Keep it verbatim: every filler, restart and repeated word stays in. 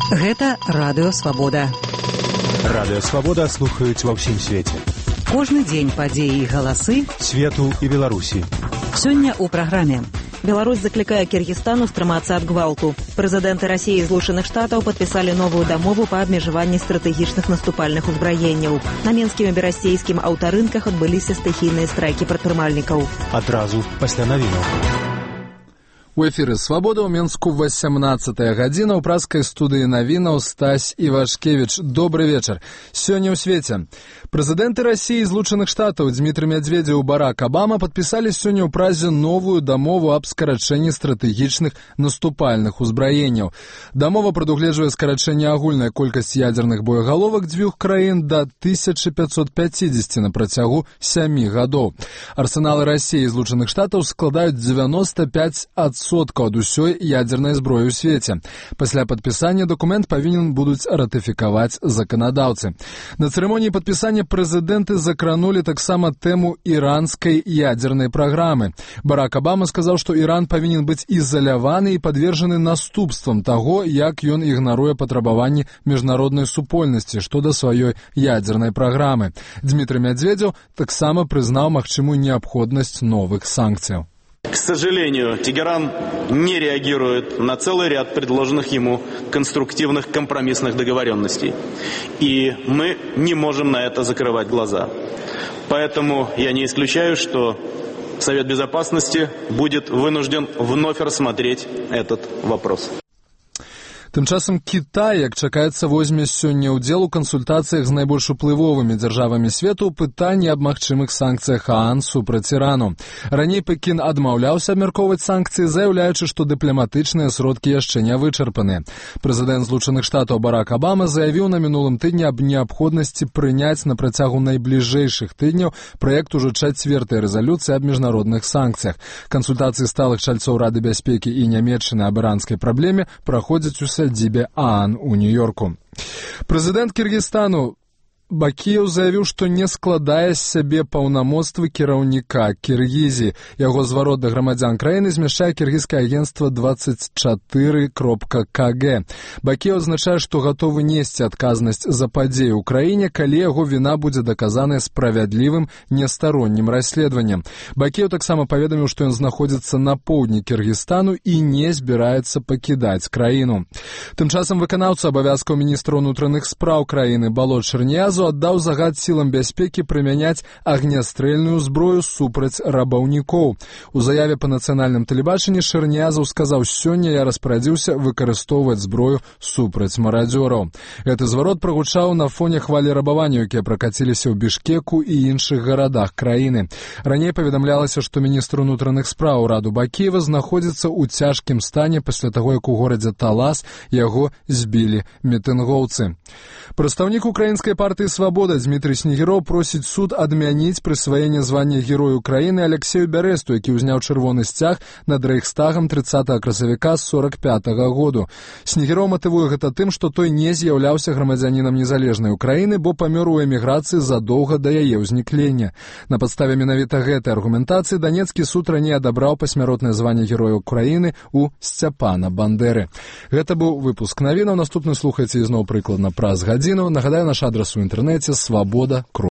Гэта Радыё Свабода. Радыё Свабода слухаюць ва ўсім свеце. Кожны дзень падзеі і галасы свету і Беларусі. Сёння ў праграме. Беларусь заклікае Киргизстану стрымацца ад гвалту. Прэзідэнты Расіі і Злучаных Штатаў падпісалі новую дамову па абмежаванні стратэгічных наступальных узбраенняў. На менскім і берасцейскім аўтарынках адбыліся стыхійныя страйкі прадпрымальнікаў. Адразу пасля навінаў. У эфіры «Свабода» ў Менску васямнаццатая гадзіна. У праскай студыі навінаў Стась Івашкевіч. Добры вечар. Сёння ў свеце. Прэзідэнты Расіі і Злучаных Штатаў Дмітрый Медведзеў і Барак Абама падпісалі сёння ў празе новую дамову аб скарачэнні стратэгічных наступальных узбраенняў. Дамова прадугледжвае скарачэнне агульнай колькасці ядзерных боегаловак дзвюх краін да тысячы пятьсот пятьдесят на працягу сямі гадоў. Арсеналы Расіі і Злучаных Штатаў складаюць девяносто пять адсоткаў ад усёй ядзернай зброі ў свеце. Пасля падпісання дакумент павінен будуць ратыфікаваць заканадаўцы. На цырымоніі падпісання прэзідэнты закранулі таксама тэму іранскай ядзернай праграмы. Барак Абама сказаў, што Іран павінен быць ізаляваны і падвержаны наступствам таго, як ён ігнаруе патрабаванні міжнароднай супольнасці што да сваёй ядзернай праграмы. Дмітрый Медведзеў таксама прызнаў магчымую неабходнасць новых санкцыяў. К сожалению, Тегеран не реагирует на целый ряд предложенных ему конструктивных компромиссных договоренностей. И мы не можем на это закрывать глаза. Поэтому я не исключаю, что Совет Безопасности будет вынужден вновь рассмотреть этот вопрос. Тым часам Кітай, як чакаецца, возьме сёння ўдзел у кансультацыях з найбольш уплывовымі дзяржавамі свету ў пытанні аб магчымых санкцыях ААН супраць Ірану. Раней Пекін адмаўляўся абмяркоўваць санкцыі, заяўляючы, што дыпламатычныя сродкі яшчэ не вычарпаныя. Прэзідэнт Злучаных Штатаў Барак Абама заявіў на мінулым тыдні аб неабходнасці прыняць на працягу найбліжэйшых тыдняў праект ужо чацвёртай рэзалюцыі аб міжнародных санкцыях. Кансультацыі сталых чальцоў Рады бяспекі і нямецчыны аб іранскай праблеме праходзяць у сядзібе ААН у Нью-Йорку. Прэзідэнт Киргизстану Бакіеў заявіў, што не складае з сябе паўнамоцтвы кіраўніка Кіргізіі. Яго зварот да грамадзян краіны змяшчае кіргізскае агенцтва двадцать четыре кропка ка гэ. Бакіеў адзначае, што гатовы несці адказнасць за падзеі ў краіне, калі яго віна будзе даказаная справядлівым нестароннім расследаваннем. Бакіеў таксама паведаміў, што ён знаходзіцца на поўдні Кіргізстану і не збіраецца пакідаць краіну. Тым часам выканаўца абавязкаў міністра ўнутраных спраў краіны Балот Шэрніязу аддаў загад сілам бяспекі прымяняць агнястрэльную зброю супраць рабаўнікоў. У заяве па нацыянальным тэлебачанні Шэрніязаў сказаў: «Сёння я распарадзіўся выкарыстоўваць зброю супраць марадзёраў». Гэты зварот прагучаў на фоне хвалі рабавання, якія пракаціліся ў Бішкеку і іншых гарадах краіны. Раней паведамлялася, што міністр унутраных спраў Раду Бакіева знаходзіцца ў цяжкім стане пасля таго, як у горадзе Талас яго збілі мітынгоўцы. Прадстаўнік украінскай партыі «Свабода» Дмітрый Снегіроў просіць суд адмяніць прысваенне звання Герою Украіны Алексею Бярэсту, які ўзняў чырвоны сцяг над рэйхстагам трыццатага красавіка сорок пятага году. Снегіроў матывуе гэта тым, што той не з'яўляўся грамадзянінам незалежнай Украіны, бо памёр у эміграцыі задоўга да яе ўзніклення. На падставе менавіта гэтай аргументацыі данецкі суд раней адабраў пасмяротнае званне Героя Украіны у Сцяпана Бандэры. Гэта быў выпуск навінаў. Наступны слухайце ізноў прыкладна праз гадзіну. Нагадаю, наш адрас у інтэрнэце свабода.